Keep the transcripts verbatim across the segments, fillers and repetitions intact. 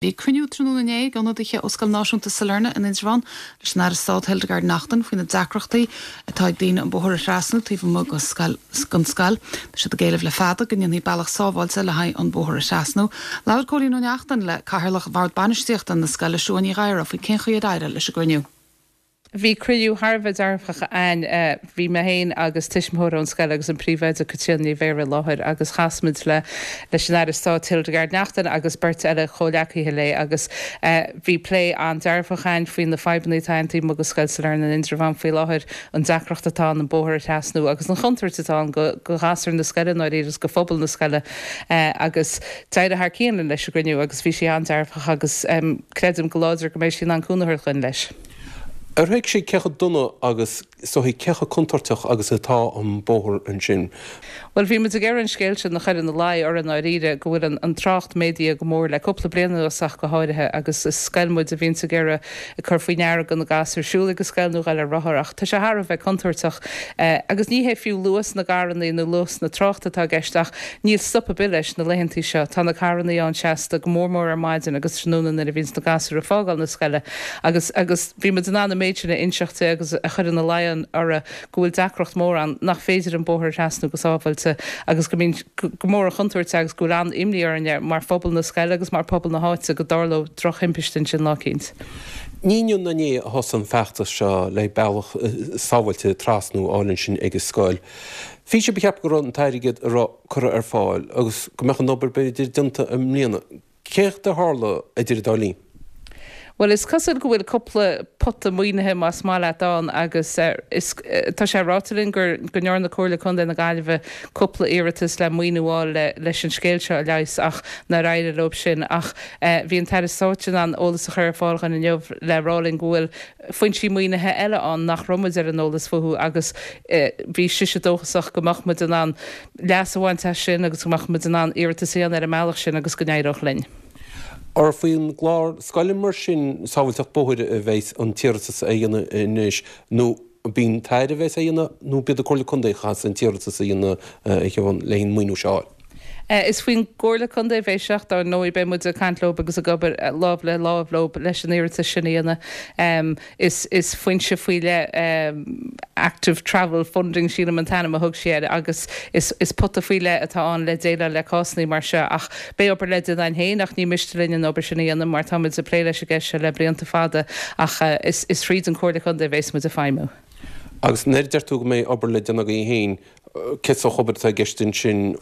Bhí cruinniú tráthnóna inné ag ionadaithe ó Scoil Náisiúnta Sailearna in Indreabhán leis an Aire Stáit Hildegarde Naughton faoi na deacrachtaí atá ag daoine an bóthar a thrasnú taobh amuigh den scoil. Tá siad ag éileamh le fada go ndéanfaí bealach sábháilte le haghaidh an bóthar a thrasnú. Labhair Cóilín Ó Neachtain le cathaoirleach Bhord Bainistíochta na scoile Siún Ní Ghadhra faoi cén chaoi ar éirigh leis an gcruinniú. Bhí cruinniú thar a bheith dearfach ann bhí mé féin agus tuismitheoir ón scoil agus an príomhoide Caitríona Ní Bhéarra i láthair agus chas muid le leis an Aire Stáit Hildegarde Naughton agus beirt eile comhghleacaithe léi agus bhí plé an-dearfach ann faoi na fadhbanna atá ann taobh amuigh de Scoil Sailearna in Indreabhán faoi láthair an deacracht atá an bóthar a thrasnú agus an chontúirt atá ann go go ghasúir na scoile nó agus go phobal na scoile agus d'éirigh thar cionn leis an gcruinniú agus bhí sé an-dearfach agus um, creidim go láidir go mbeidh sí in ann cúnamh a thabhairt dúinn leis. Ar thuig sí cé chomh dona agus so cé chomh contúirteach agus atá an bóthar ansin. Well bhí muid ag iarraidh an scéal sin a chur ina luí ar an Aire go bhfuil an, an trácht méadaithe go mór le cúpla bliain ach go háirithe agus is scoil muid a bhíonn ag iarraidh ag cur faoi ndeara go na gasúir siúl ag an scoil nó ar rothar ach tá sé thar a bheith contúirteach eh, agus ní hé fiú luas na gcarranna nó luas na tráchta atá i gceist ach níl stop ar bith leis na laethanta seo tá na carranna ann seasta go mór mór ar maidin agus tráthnóna nuair a bhíonn na gasúir ag fágáil na scoile agus agus bhí muid in ann méid sin a inseacht agus a chur ina luí uirthi go bhfuil deacracht mór ann nach féidir an bóthar trasnú go sábháilte agus go mbíonn go mór an chontúirt agus go bhfuil an-imní orainne mar phobal na scoile agus mar phobal na háite go dtarlódh drochthimpiste ansin lá éicint. Ní inniu ná inné a thosaigh an feachtas seo le bealach sábháilte trasnú a fháil ansin ag an scoil. Bhí sé ceaptha go raibh an t-airgead a raibh curtha ar fáil agus go mbeadh an obair b'fhéidir déanta i mbliana. Céard a tharla idir an dá linn? Well is cosúil go bhfuil cúpla pota maoinithe más maith leat ann agus uh, is, uh, tá sé ráite linn gur go ndearna Comhairle Contae na Gaillimhe cúpla iarratas le maoiniú a fháil le, leis an scéal seo a leigheas ach nár éirigh leo sin ach uh, bhí an tAire Stáit in ann eolas a chur ar fáil dúinn inniu le rá linn go bhfuil foinsí maoinithe eile ann nach raibh muid ar an eolas fúthu agus uh, bhí sise dóchasach go mbeadh muid in ann leas a bhaint as sin agus go mbeadh muid in ann iarratas a dhéanamh ar an mbealach sin agus go n-éireodh linn. Ar faoin gclár scoile mar sin sábháilteacht bóthair a bheas an t-iarratas a dhéanamh anois nó bíonn tair a bheas a dhéanamh nó b'iad Comhairle Contae chas an t-iarratas a dhéanamh a le an maoiniú seo. Uh, is faoin gComhairle Contae a bheidh sé dar ndóigh beidh muid ag caint leo agus ag obair lámh le lámh leo leis an iarratas sin a dhéanamh. Um, is, is foinse faoi le um, active travel funding sílim an t-ainm a thug sé agus is, is pota faoi leith atá ann le déileáil le cásanna mar seo ach beidh obair le déanamh féin ach ní miste linn an obair sin a dhéanamh mar táimid ag plé leis an gceist seo le blianta fada ach uh, is, is fríd an Chomhairle Contae a bheas muid ag feidhmiú. Agus nuair a deir tú go mbeidh obair le déanamh agaibh féin cé sórt obair atá i gceist ansin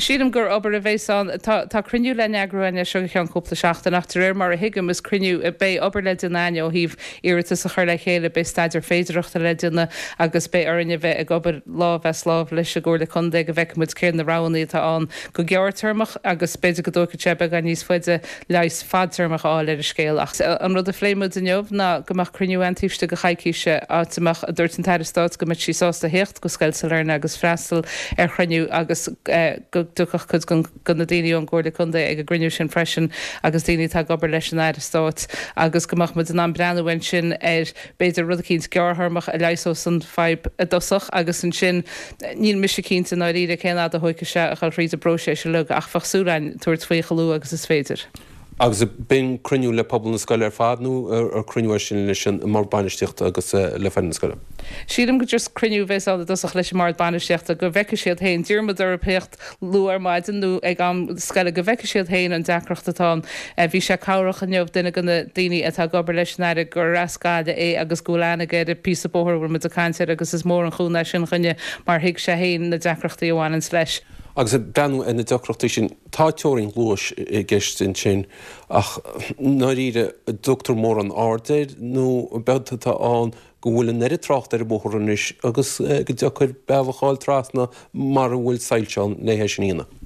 Sílim gur obair a bheas ann tá tá cruinniú le heagrú againne seo ceann cúpla seachtain ach de réir mar a thuigim is cruinniú beidh obair le déanamh ó thaobh iarratas a chur le chéile beidh staidéar féidearthachta le déanamh agus beidh orainne bheith ag obair lámh is lámh leis an gComhairle Contae go bhfeicfimid céard na roghanna atá ann go gearrthéarmach agus b'fhéidir go dtógfaidh sé beagán níos faide leigheas fadtéarmach a fháil ar an scéal ach an rud a phléigh muid inniu ná go mbeadh cruinniú ann taobh istigh de choicís áit a mbeadh a dúirt an tAire Stáit go mbeadh sí sásta theacht go Scoil Sailearna agus freastal ar chruinniú agus uh, go dtiocfadh cuid de na daoine ón gComhairle Contae ag an gcruinniú sin freisin agus daoine atá ag obair leis an Aire Stáit agus go mbeadh muid in ann breathnú ansin ar b'fhéidir rud éicint gearrthéarmach a leigheasódh an fhadhb i dtosach agus ansin níl mise cinnte dáiríre cén fhad a thógfaidh sé a chur thríd an bpróiseas uilig ach bheadh súil againn tabhairt faoi chomh luath agus is féidir. Agus b'in cruinniú le pobal na scoile ar fad nó ar cruinniú sin leis an mbord bainistíochta agus le foireann na scoile. Sílim go just cruinniú a bheas ann i dtosach leis an mbord bainistíochta go bhfeicfidh siad féin d'iarr muid orthu theacht luath ar maidin nó ag am scoile go bhfeicfidh siad féin an deacracht atá ann. Bhí sé cabhrach inniu duine de na daoine atá ag obair leis an Aire gur as Gaillimh é agus go bhfuil aithne aige ar an bpíosa bóthair a bhfuil muid ag caint air agus is mór an chúnamh sin dúinne mar thuig sé féin na deacrachtaí a bhaineann leis. Agus breathnú ar na deacrachtaí sin tá teorainn luais i gceist ansin ach dáiríre dtugtar mórán aird air nó b'fhéidir atá ann go bhfuil an oiread trácht ar an bóthar anois agus go deacair bealach a fháil trasna mar a bhfuil soilse ann le sin a dhéanamh.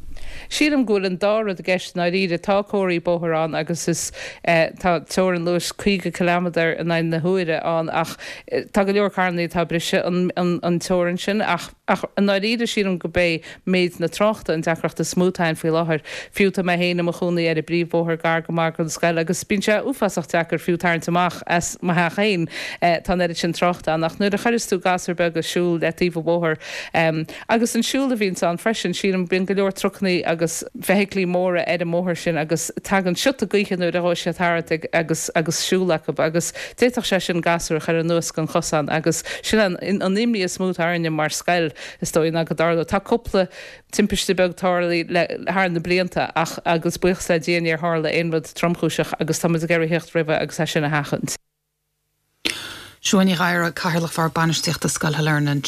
Sílim go bhfuil an dá rud i gceist dáiríre tá comharthaí bóthair ann agus is eh, tá teorainn luais caoga kilometer in aghaidh na huaire ann ach eh, tá go leor carranna atá ag briseadh an, an, an teorainn sin ach ach an dáiríre sílim gurb é méid na tráchta an deacracht is mó atá ann faoi láthair. Fiú tá mé féin i mo chónaí ar an bpríomhbhóthar gar go maith don scoil agus bíonn sé uafásach deacair fiú tarraingt amach as mo theach féin eh, tá an oiread sin tráchta ann ach nuair a chuireann tú gasúir beaga ag siúl le taobh an bhóthair um, agus an siúl a bhíonn ann freisin sílim bíonn go leor trucanna agus feithiclí móra ar an mbóthar sin agus tagann siota gaoithe nuair a ghabhann siad thart ag agus agus siúl acu agus d'fhéadfadh sé sin gasúr a chur anuas den chosán agus sin an an imní is mó atá orainne mar scoil is dóigh ná go dtarlódh. Tá cúpla timpiste beag tarlaithe le thar na blianta ach agus buíochas le Dia níor tharla aon rud tromchúiseach agus táimid ag iarraidh theacht roimhe agus é sin a sheachaint. Siún Ní Ghadhra, Cathaoirleach Bhord Bainistíochta Scoil Shailearna.